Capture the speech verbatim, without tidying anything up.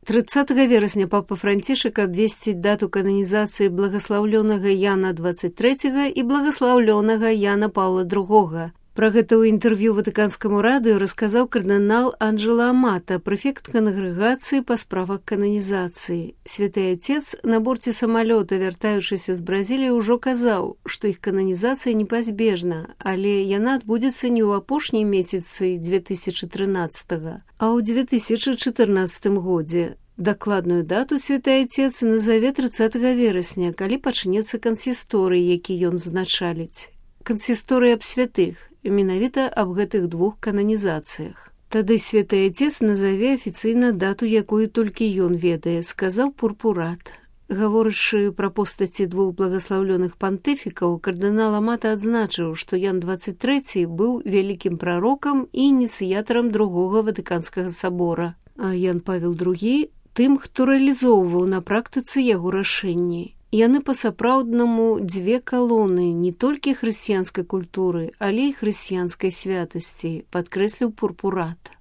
трыццатага верасня папа Францішак абвесціць дату кананізацыі благаслаўлёнага Яна двадцать трэцяга і благаслаўлёнага Яна Паўла другога. Пра гэта ў інтэрв'ю ватыканскаму радыё расказаў кардынал Анджела Амата, прэфект кангрэгацыі па справах кананізацыі. Святы Отец на борце самалёта, вяртаючыся з Бразіліі, ўжо казаў, што іх кананізацыя непазбежна, але яна адбудзецца не ў апошнім месяцы две тысячы трынаццатага, а ў две тысячы чатырнаццатым годзе. Дакладную дату Святы Отец назаве трыццатага верасня, калі пачнецца кансісторый, які ён узначаліць. Кансісторый аб святых, менавіта аб гэтых двух кананізацыях. Тады Святы Отец назаве афіцыйна дату, якую толькі ён ведае, сказаў Пурпурат. Гаворачы пра постаці двух благаслаўлёных пантыфікаў, кардынал Амата адзначыў, што Ян двадцать трэці быў вялікім прарокам і ініцыятарам другога ватыканскага сабора, а Ян Павел другі тым, хто рэалізоўваў на практыцы яго рашэнні. Яны па-сапраўднаму дзве калоны не толькі хрысціянскай культуры, але і хрысціянскай святасці, падкрэсліў Пурпурат.